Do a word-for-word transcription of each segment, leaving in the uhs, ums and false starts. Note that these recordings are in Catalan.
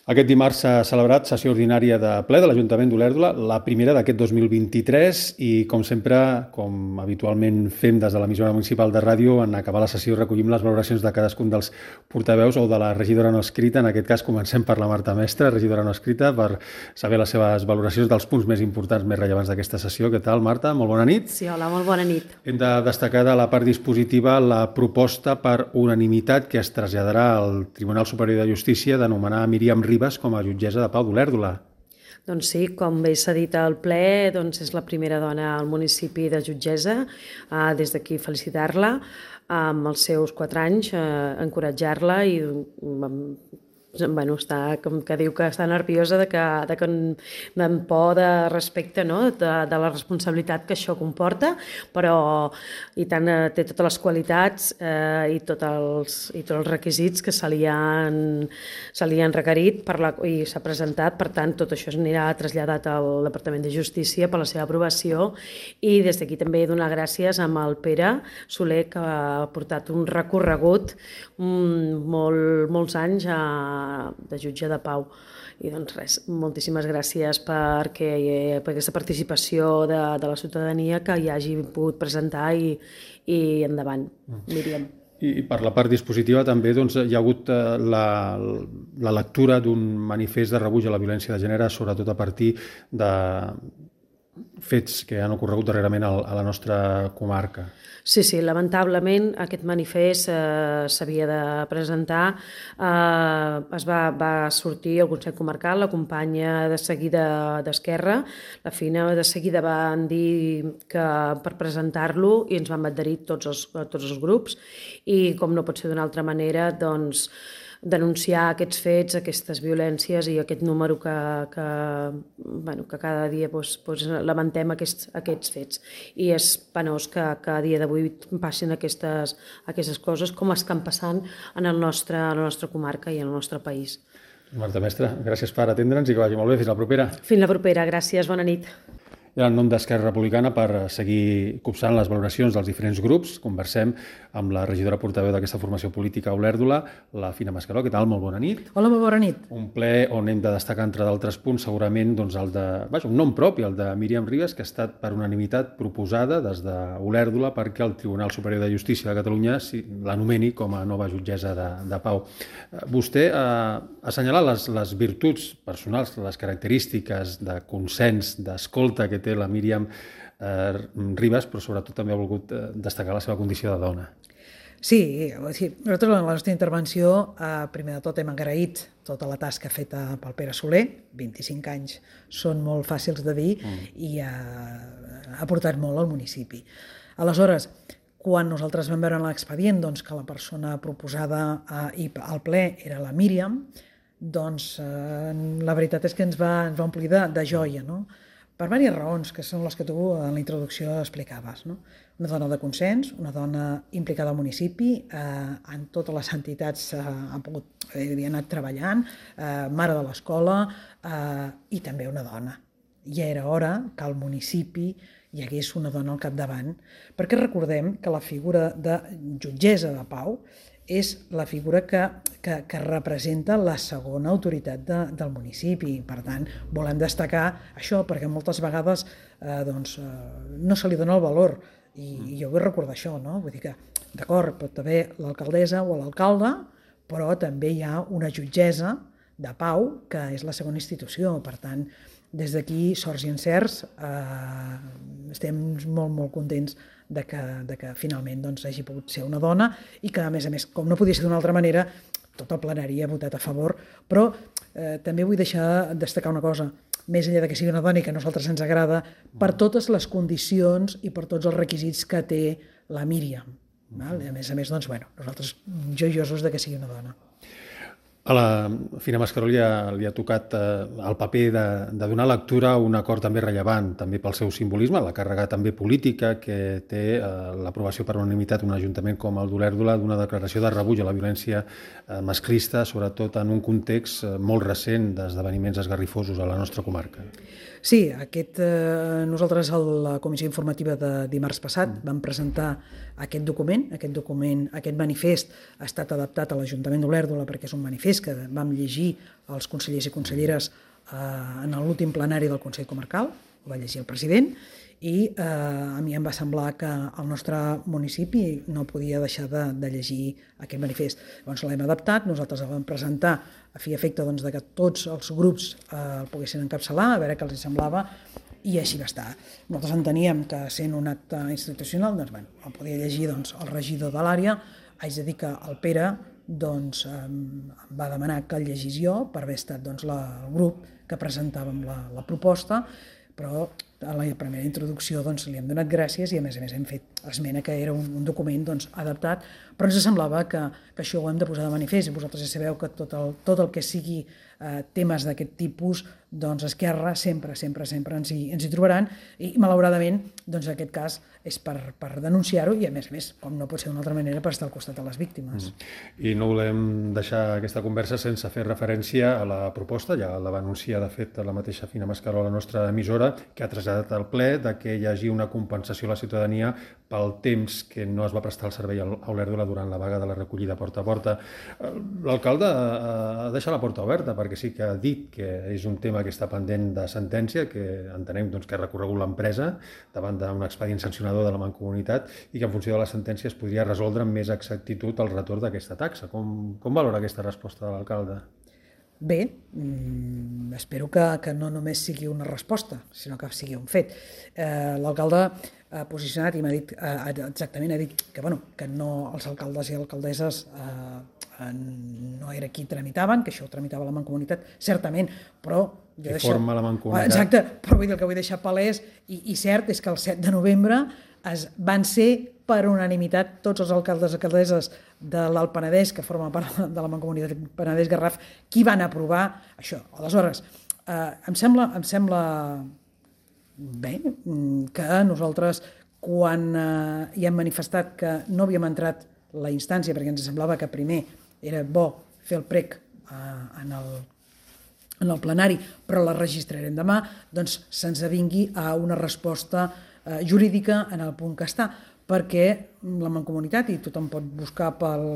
Aquest dimarts s'ha celebrat sessió ordinària de ple de l'Ajuntament d'Olèrdola, la primera d'aquest dos mil vint-i-tres, i com sempre, com habitualment fem des de l'emissora municipal de ràdio, en acabar la sessió recollim les valoracions de cadascun dels portaveus o de la regidora no escrita. En aquest cas comencem per la Marta Mestre, regidora no escrita, per saber les seves valoracions dels punts més importants, més rellevants d'aquesta sessió. Què tal, Marta? Molt bona nit. Sí, hola, molt bona nit. Hem de destacar de la part dispositiva la proposta per unanimitat que es traslladarà al Tribunal Superior de Justícia d'anomenar Míriam Ribas com a jutgessa de pau d'Olèrdola. Doncs sí, com bé s'ha dit al ple, doncs és la primera dona al municipi de jutgessa. Uh, des d'aquí felicitar-la amb els seus quatre anys, uh, encoratjar-la i um, bueno, està, com que diu que està nerviosa de que, de que en por de respecte, no? de, de la responsabilitat que això comporta, però i tant eh, té totes les qualitats eh, i, tot els, i tots els requisits que se li han, se li han requerit per la, i s'ha presentat. Per tant, tot això anirà traslladat al Departament de Justícia per la seva aprovació, i des d'aquí també donar gràcies amb el Pere Soler, que ha portat un recorregut um, molt, molts anys a de jutge de pau. I doncs res, moltíssimes gràcies perquè, per aquesta participació de, de la ciutadania que hi hagi pogut presentar i, i endavant, Míriam. I per la part dispositiva també doncs, hi ha hagut la, la lectura d'un manifest de rebuig a la violència de gènere, sobretot a partir de fets que han ocorregut darrerament a la nostra comarca. Sí, sí, lamentablement aquest manifest eh, s'havia de presentar. Eh, es va, va sortir al Consell Comarcal, la companya de seguida d'Esquerra, la Fina, de seguida van dir que per presentar-lo, i ens van adherir tots els, tots els grups, i com no pot ser d'una altra manera, doncs denunciar aquests fets, aquestes violències i aquest número que, que, bueno, que cada dia doncs, doncs, lamentem aquests, aquests fets. I és penós que, que a dia d'avui passin aquestes, aquestes coses com estan passant en el nostre, en la nostra comarca i en el nostre país. Marta Mestre, gràcies per atendre'ns i que vagi molt bé. Fins la propera. Fins la propera. Gràcies. Bona nit. I en nom d'Esquerra Republicana, per seguir copsant les valoracions dels diferents grups, conversem amb la regidora portaveu d'aquesta formació política a Olèrdola, la Fina Mascaró. Què tal? Molt bona nit. Hola, molt bona nit. Un ple on hem de destacar, entre d'altres punts, segurament doncs, el de, vaja, un nom propi, el de Míriam Ribas, que ha estat per unanimitat proposada des d'Olèrdola perquè el Tribunal Superior de Justícia de Catalunya l'anomeni com a nova jutgessa de, de pau. Vostè ha assenyalat les, les virtuts personals, les característiques de consens, d'escolta que té la Míriam eh, Ribas, però sobretot també ha volgut eh, destacar la seva condició de dona. Sí, sí, nosaltres en la nostra intervenció, eh, primer de tot hem agraït tota la tasca feta pel Pere Soler, vint-i-cinc anys són molt fàcils de dir, mm. i eh, ha aportat molt al municipi. Aleshores, quan nosaltres vam veure en l'expedient doncs, que la persona proposada eh, al ple era la Míriam, doncs eh, la veritat és que ens va, ens va omplir de, de joia, no? Per diverses raons, que són les que tu en la introducció explicaves. No? Una dona de consens, una dona implicada al municipi, eh, en totes les entitats eh, han pogut, havia anat treballant, eh, mare de l'escola, eh, i també una dona. Ja era hora que al municipi hi hagués una dona al capdavant, perquè recordem que la figura de jutgessa de pau és la figura que, que, que representa la segona autoritat de, del municipi. Per tant, volem destacar això, perquè moltes vegades eh, doncs, eh, no se li dona el valor. I, i jo vull recordar això, no? Vull dir que, d'acord, pot haver l'alcaldessa o l'alcalde, però també hi ha una jutgessa de pau, que és la segona institució. Per tant, des d'aquí, sorts i encerts, eh, estem molt, molt contents de que, de que finalment doncs, hagi pogut ser una dona i que, a més a més, com no podia ser d'una altra manera, tot el plenari ha votat a favor. Però eh, també vull deixar destacar una cosa, més enllà de que sigui una dona i que a nosaltres ens agrada, per totes les condicions i per tots els requisits que té la Míriam. Val? A més a més, doncs, bueno, nosaltres joiosos de que sigui una dona. A la Fina Mascaró li ha, li ha tocat eh, el paper de, de donar lectura a un acord també rellevant, també pel seu simbolisme, la càrrega també política que té eh, l'aprovació per unanimitat un ajuntament com el d'Olèrdola d'una declaració de rebuig a la violència eh, masclista, sobretot en un context eh, molt recent d'esdeveniments esgarrifosos a la nostra comarca. Sí, aquest, eh, nosaltres a la comissió informativa de dimarts passat vam presentar aquest document, aquest document, aquest manifest ha estat adaptat a l'Ajuntament d'Olèrdola perquè és un manifest que vam llegir els consellers i conselleres eh, en l'últim plenari del Consell Comarcal, ho va llegir el president, i eh, a mi em va semblar que el nostre municipi no podia deixar de, de llegir aquest manifest. Llavors l'hem adaptat, nosaltres el vam presentar a fi i efecte doncs, de que tots els grups eh, el poguessin encapçalar, a veure què els semblava, i així va estar. Nosaltres enteníem que sent un acte institucional doncs, bueno, el podia llegir doncs, el regidor de l'àrea. Haig de dir que el Pere doncs, em va demanar que el llegís jo per haver estat doncs, la, el grup que presentàvem la, la proposta, però a la primera introducció doncs, li hem donat gràcies i a més a més hem fet esmena que era un, un document doncs, adaptat, però ens semblava que, que això ho hem de posar de manifest i vosaltres ja sabeu que tot el, tot el que sigui eh, temes d'aquest tipus, doncs Esquerra sempre, sempre, sempre ens hi, ens hi trobaran i malauradament doncs, en aquest cas és per, per denunciar-ho i a més a més, com no pot ser d'una altra manera, per estar al costat de les víctimes. Mm. I no volem deixar aquesta conversa sense fer referència a la proposta, ja la va anunciar de fet la mateixa Fina Mascaró a la nostra emissora, que ha traslladat al ple de que hi hagi una compensació a la ciutadania pel temps que no es va prestar el servei a Olèrdola durant la vaga de la recollida porta a porta. L'alcalde ha deixat la porta oberta perquè sí que ha dit que és un tema que està pendent de sentència, que entenem doncs, que ha recorregut l'empresa davant d'un expedient sancionador de la Mancomunitat i que en funció de la sentència es podria resoldre amb més exactitud el retorn d'aquesta taxa. Com, com valora aquesta resposta de l'alcalde? Bé, mm, espero que, que no només sigui una resposta, sinó que sigui un fet. Eh, l'alcalde ha posicionat i m'ha dit eh, exactament, ha dit que, bueno, que no, els alcaldes i alcaldesses eh, no era qui tramitaven, que això ho tramitava la Mancomunitat, certament, però... Qui forma la Mancomunitat. Exacte, però vull dir, el que vull deixar palès, i, i cert, és que el set de novembre es van ser per unanimitat tots els alcaldes i alcaldesses de l'Alt Penedès, que forma part de la Mancomunitat Penedès-Garraf, qui van aprovar això. Aleshores, eh, em sembla, em sembla bé que nosaltres, quan eh, hi hem manifestat que no havíem entrat la instància, perquè ens semblava que primer era bo fer el prec eh, en el en el plenari, però la registrarem demà, doncs se'ns avingui a una resposta eh, jurídica en el punt que està, perquè la Mancomunitat, i tothom pot buscar pel,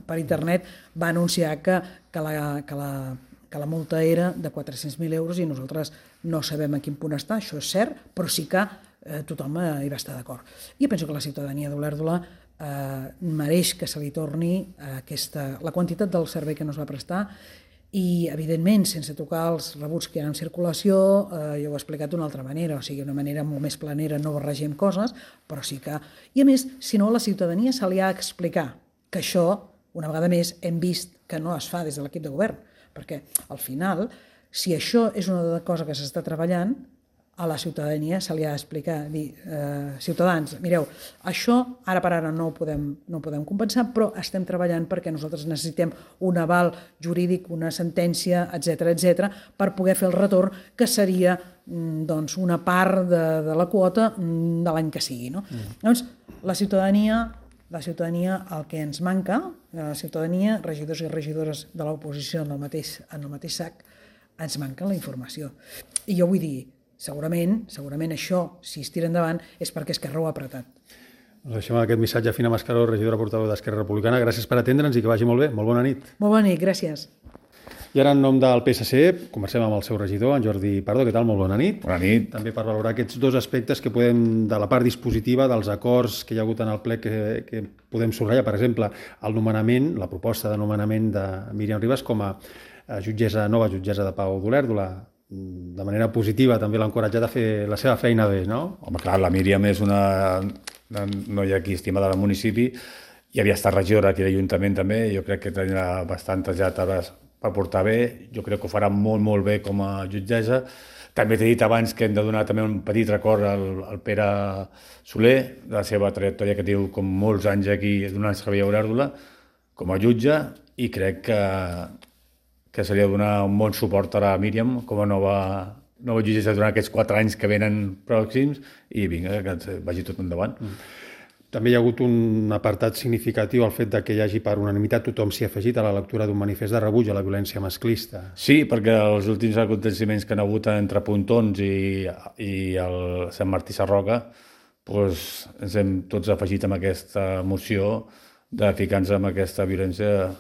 per internet, va anunciar que, que, la, que, la, que la multa era de quatre-cents mil euros i nosaltres no sabem a quin punt està, això és cert, però sí que eh, tothom eh, hi va estar d'acord. Jo penso que la ciutadania d'Olèrdola eh, mereix que se li torni aquesta, la quantitat del servei que no es va prestar i, evidentment, sense tocar els rebuts que hi ha en circulació, eh, jo ho he explicat d'una altra manera, o sigui, d'una manera molt més planera, no barregem coses, però sí que... I, a més, si no, a la ciutadania se li ha d'explicar que això, una vegada més, hem vist que no es fa des de l'equip de govern, perquè, al final, si això és una cosa que s'està treballant, a la ciutadania se li ha d'explicar, dir, eh, ciutadans, mireu, això ara per ara no ho podem, no ho podem compensar, però estem treballant perquè nosaltres necessitem un aval jurídic, una sentència, etcètera, etcètera, per poder fer el retorn, que seria doncs, una part de, de la quota de l'any que sigui. No? Mm. Llavors, la ciutadania, la ciutadania, el que ens manca, la ciutadania, regidors i regidores de l'oposició en el mateix, en el mateix sac, ens manca la informació. I jo vull dir, Segurament, segurament això, si es tira endavant, és perquè Esquerra ho ha apretat. Ens deixem aquest missatge a Fina Mascaró, regidora portaveu d'Esquerra Republicana. Gràcies per atendre'ns i que vagi molt bé. Molt bona nit. Molt bona nit, gràcies. I ara, en nom del P S C, conversem amb el seu regidor, en Jordi Pardo. Què tal? Molt bona nit. Bona nit. També per valorar aquests dos aspectes que podem, de la part dispositiva, dels acords que hi ha hagut en el ple, que, que podem subratllar. Per exemple, el nomenament, la proposta de nomenament de Míriam Ribas com a jutgessa, nova jutgessa de Pau d'Olèrdola. De manera positiva també l'ha encoratjat a fer la seva feina bé, no? Home, clar, la Míriam és una, una noia aquí estimada del municipi i havia estat regidora aquí de l'Ajuntament també, jo crec que tenia bastantes ja taules per portar bé, jo crec que ho farà molt, molt bé com a jutgessa. També t'he dit abans que hem de donar també un petit record al, al Pere Soler, de la seva trajectòria que diu com molts anys aquí donant servei a Olèrdola com a jutge, i crec que que se li ha de donar un bon suport a la Míriam com a nova, nova jutgessa durant aquests quatre anys que venen pròxims i vinga, que vagi tot endavant. Mm. També hi ha hagut un apartat significatiu al fet de que hi hagi per unanimitat tothom s'hi ha afegit a la lectura d'un manifest de rebuig a la violència masclista. Sí, perquè els últims aconteciments que han hagut entre Pontons i, i el Sant Martí Sarroca doncs, ens hem tots afegit amb aquesta moció de ficar-nos amb aquesta violència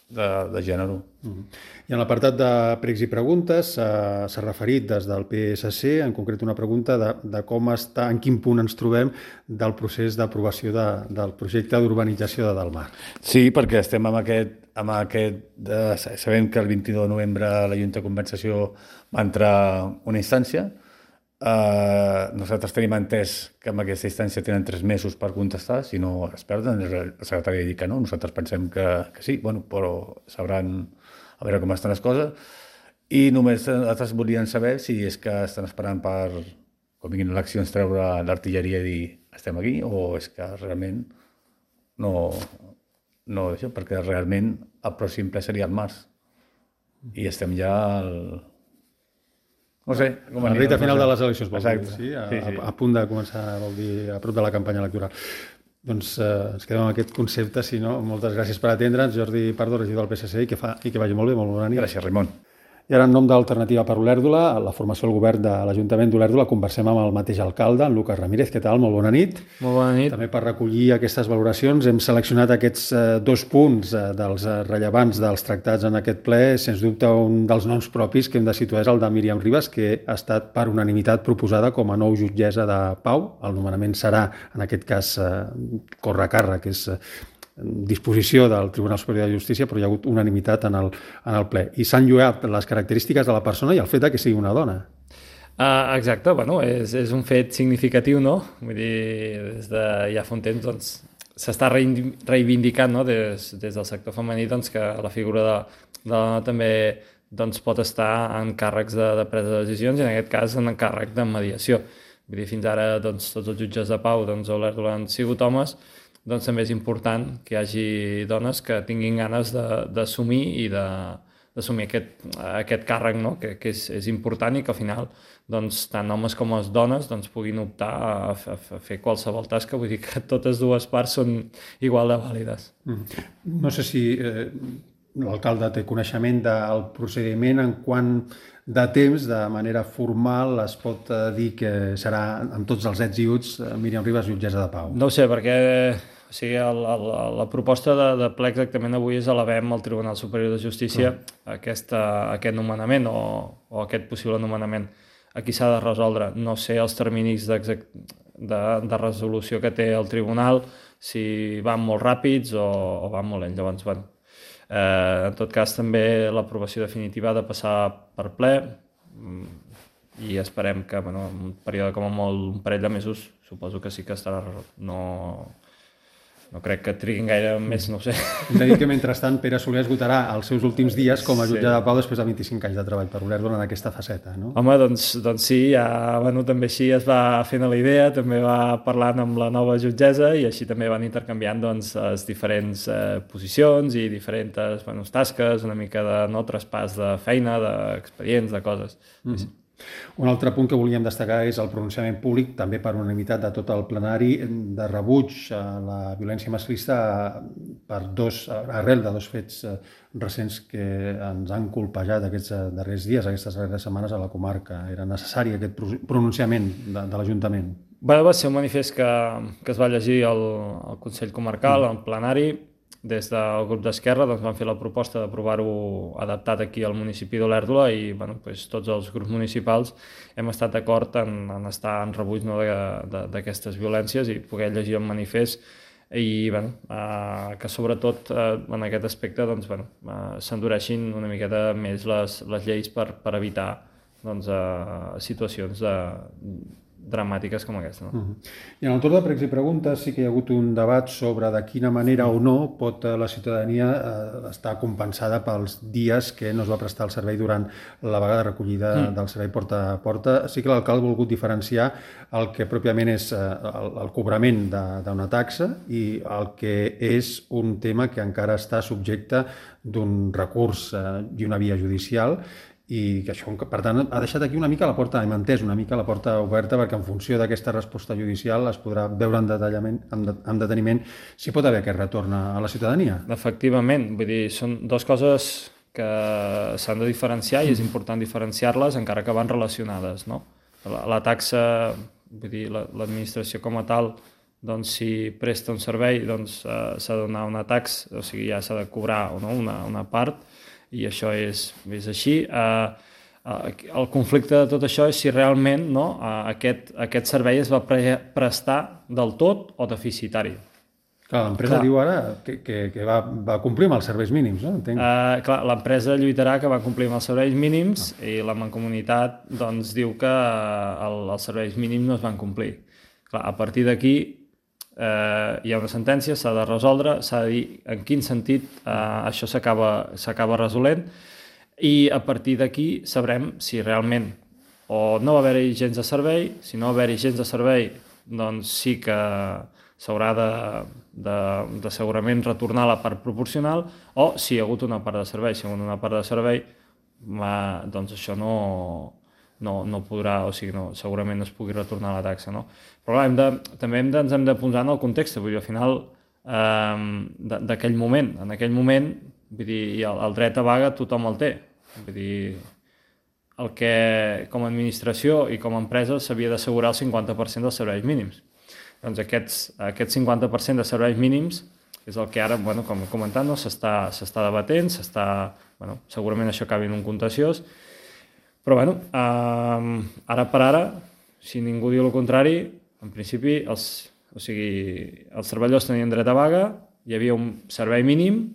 de, de gènere. Mm-hmm. I en l'apartat de pregs i preguntes s'ha referit des del P S C, en concret una pregunta de, de com està, en quin punt ens trobem del procés d'aprovació de, del projecte d'urbanització de Delmar. Sí, perquè estem amb aquest, amb aquest de, sabem que el vint-i-nou de novembre la Junta de Compensació va entrar una instància. Uh, nosaltres tenim entès que amb aquesta instància tenen tres mesos per contestar, si no es perden, el secretari ha dit que no, nosaltres pensem que, que sí, bueno, però sabran a veure com estan les coses, i només nosaltres volien saber si és que estan esperant per, quan vinguin eleccions, treure l'artilleria i dir estem aquí, o és que realment no, no això, perquè realment el pròxim ple seria el març, i estem ja al... No sé, com a la recta final de les eleccions, vol dir, sí? A, sí, sí. A, a punt de començar, vol dir, a prop de la campanya electoral. Doncs eh, ens quedem amb aquest concepte, si no, moltes gràcies per atendre'ns, Jordi Pardo, regidor del P S C, i que, fa, i que vagi molt bé, molt bona nit. Gràcies, Ramon. I ara, en nom d'Alternativa per Olèrdola, la formació del govern de l'Ajuntament d'Olèrdola, conversem amb el mateix alcalde, en Lucas Ramírez. Què tal? Molt bona nit. Molt bona nit. També per recollir aquestes valoracions hem seleccionat aquests eh, dos punts eh, dels eh, rellevants dels tractats en aquest ple. Sens dubte, un dels noms propis que hem de situar és el de Míriam Ribas, que ha estat per unanimitat proposada com a nou jutgessa de pau. El nomenament serà, en aquest cas, eh, corre a càrrec, que és... Eh, disposició del Tribunal Superior de Justícia, però hi ha hagut unanimitat en el, en el ple. I s'han lloat les característiques de la persona i el fet que sigui una dona. Uh, exacte, bueno, és, és un fet significatiu, no? Vull dir, des de ja fa un temps, doncs, s'està reivindicant, no? des, des del sector femení, doncs, que la figura de, de la dona també doncs, pot estar en càrrecs de, de presa de decisions, i en aquest cas en càrrec de mediació. Vull dir, fins ara doncs, tots els jutges de pau doncs, a Olèrdola han sigut homes, doncs també és important que hi hagi dones que tinguin ganes d'assumir i d'assumir aquest, aquest càrrec, no? que, que és, és important, i que al final doncs, tant homes com les dones doncs, puguin optar a, a, a fer qualsevol tasca. Vull dir que totes dues parts són igual de vàlides. Mm. No sé si eh, l'alcalde té coneixement del procediment en quant de temps, de manera formal, es pot eh, dir que serà amb tots els ets i uts Míriam Ribas jutgessa de pau. No ho sé, perquè o sigui, el, el, la proposta de, de ple exactament avui és elevem al Tribunal Superior de Justícia mm. aquesta, aquest nomenament o, o aquest possible nomenament. Aquí s'ha de resoldre. No sé els terminis de, de resolució que té el tribunal, si van molt ràpids o, o van molt lents. Llavors, bueno, eh, en tot cas, també l'aprovació definitiva ha de passar per ple, i esperem que, bueno, en un període com a molt, un parell de mesos, suposo que sí que estarà resolt. No... No crec que triguin gaire més, no ho sé. Hem de dir que, mentrestant, Pere Soler esgotarà els seus últims dies com a jutge sí. de pau després de vint-i-cinc anys de treball per Olèrdola en aquesta faceta, no? Home, doncs, doncs sí, ja, bueno, també així es va fent la idea, també va parlant amb la nova jutgessa i així també van intercanviant doncs, les diferents eh, posicions i diferents bueno, tasques, una mica de no traspàs de feina, d'expedients, de coses. Mm-hmm. Sí. Un altre punt que volíem destacar és el pronunciament públic, també per unanimitat de tot el plenari, de rebuig a la violència masclista per dos, arrel de dos fets recents que ens han colpejat aquests darrers dies, aquestes darreres setmanes a la comarca. Era necessari aquest pronunciament de, de l'Ajuntament. Bé, va ser un manifest que, que es va llegir al, al Consell Comarcal, al plenari. Des del grup d'Esquerra doncs, van fer la proposta d'aprovar-ho adaptat aquí al municipi d'Olèrdola i bueno, doncs, tots els grups municipals hem estat d'acord en, en estar en rebuig no, d'aquestes violències i poder llegir el manifest i bueno, eh, que sobretot eh, en aquest aspecte doncs, bueno, eh, s'endureixin una miqueta més les, les lleis per, per evitar doncs, eh, situacions de dramàtiques com aquesta. No? Uh-huh. I en el torn de pregs i preguntes sí que hi ha hagut un debat sobre de quina manera o no pot la ciutadania eh, estar compensada pels dies que no es va prestar el servei durant la vaga de recollida mm. del servei porta a porta. Sí que l'alcalde ha volgut diferenciar el que pròpiament és eh, el, el cobrament d'una taxa i el que és un tema que encara està subjecte d'un recurs eh, i una via judicial i que això, per tant, ha deixat aquí una mica la porta, hem entès una mica la porta oberta perquè en funció d'aquesta resposta judicial es podrà veure en detallament, en deteniment si pot haver aquest retorn a la ciutadania. Efectivament, vull dir, són dues coses que s'han de diferenciar i és important diferenciar-les encara que van relacionades, no? La, la taxa vull dir, l'administració com a tal, doncs, si presta un servei, doncs, uh, s'ha de donar una taxa, o sigui, ja s'ha de cobrar o no, una, una part, i això és, és així. Uh, uh, el conflicte de tot això és si realment, no, uh, aquest, aquest servei es va pre prestar del tot o deficitari. Clar, l'empresa diu ara que, que, que va, va complir amb els serveis mínims, no? Entenc. Uh, clar, l'empresa lluitarà que va complir amb els serveis mínims no. I la Mancomunitat doncs, diu que el, els serveis mínims no es van complir. Clar, a partir d'aquí eh, hi ha una sentència, s'ha de resoldre, s'ha de dir en quin sentit eh, això s'acaba resolent i a partir d'aquí sabrem si realment o no va haver-hi gens de servei, si no va haver-hi gens de servei, doncs sí que s'haurà de, de, de segurament retornar la part proporcional o si hi ha hagut una part de servei. Si hi ha hagut una part de servei, ma, doncs això no, no, no podrà, o sigui, no, segurament no es pugui retornar la taxa. No? Però clar, hem de, també hem de, ens hem de posar en el context, vull dir, al final eh, d'aquell moment, en aquell moment, vull dir, el, el dret a vaga tothom el té. Vull dir, el que com a administració i com a empresa s'havia d'assegurar el cinquanta per cent dels serveis mínims. Doncs aquests, aquest cinquanta per cent de serveis mínims és el que ara, bueno, com he comentat, no, s'està debatent, s'està, bueno, segurament això acabi en un contenciós, però bueno, eh, ara per ara, si ningú diu el contrari, en principi els, o sigui, els treballadors tenien dret a vaga, hi havia un servei mínim,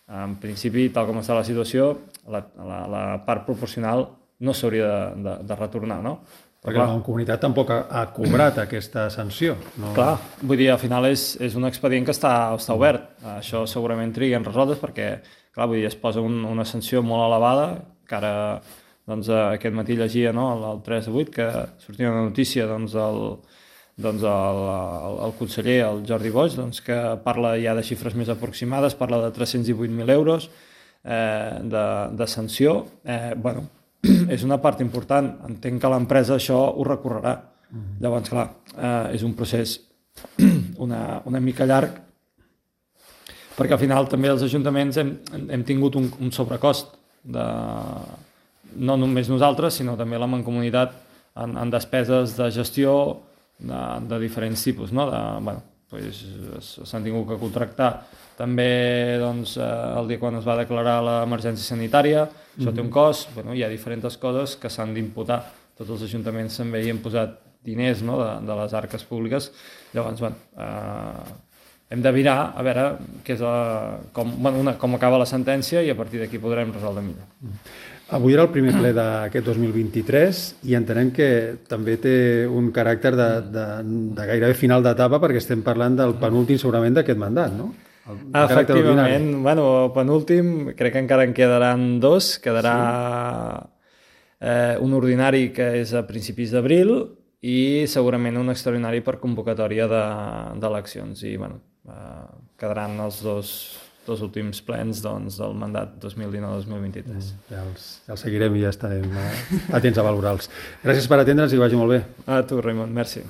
en principi, tal com està la situació, la, la, la part proporcional no s'hauria de, de, de retornar, no? Perquè clar, la comunitat tampoc ha, ha cobrat aquesta sanció. No? Clar, vull dir, al final és, és un expedient que està, està obert. Això segurament triga en resoldre's perquè, clar, vull dir, es posa un, una sanció molt elevada, que ara, doncs, aquest matí llegia, no?, el, el tres de vuit, que sortia una notícia, doncs, el, doncs el, el, el conseller, el Jordi Boix, doncs, que parla ja de xifres més aproximades, parla de tres-cents divuit mil euros eh, de, de sanció. Eh, bueno, és una part important, entenc que l'empresa això ho recorrerà. Mm-hmm. Llavors, clar, eh, és un procés una, una mica llarg, perquè al final també els ajuntaments hem, hem tingut un, un sobrecost, de, no només nosaltres, sinó també la Mancomunitat en, en despeses de gestió de, de diferents tipus, no? De, bueno, pues, s'han tingut que contractar també doncs, el dia quan es va declarar l'emergència sanitària, això té un cost, bueno, hi ha diferents coses que s'han d'imputar. Tots els ajuntaments també hi han posat diners, no?, de, de les arques públiques. Llavors, bueno, eh, hem de mirar a veure què és la, com, bueno, una, com acaba la sentència i a partir d'aquí podrem resoldre millor. Avui era el primer ple d'aquest dos mil vint-i-tres i entenem que també té un caràcter de, de, de gairebé final d'etapa perquè estem parlant del penúltim segurament d'aquest mandat, no? Efectivament, bueno, penúltim, crec que encara en quedaran dos, quedarà sí. eh, un ordinari que és a principis d'abril i segurament un extraordinari per convocatòria d'eleccions de, i bueno, eh, quedaran els dos, dos últims plens doncs, del mandat dos mil dinou dos mil vint-i-tres. Ja els, ja els seguirem i ja estarem atents a valorar-los. Gràcies per atendre'ns i vagi molt bé. A tu, Raimon, merci.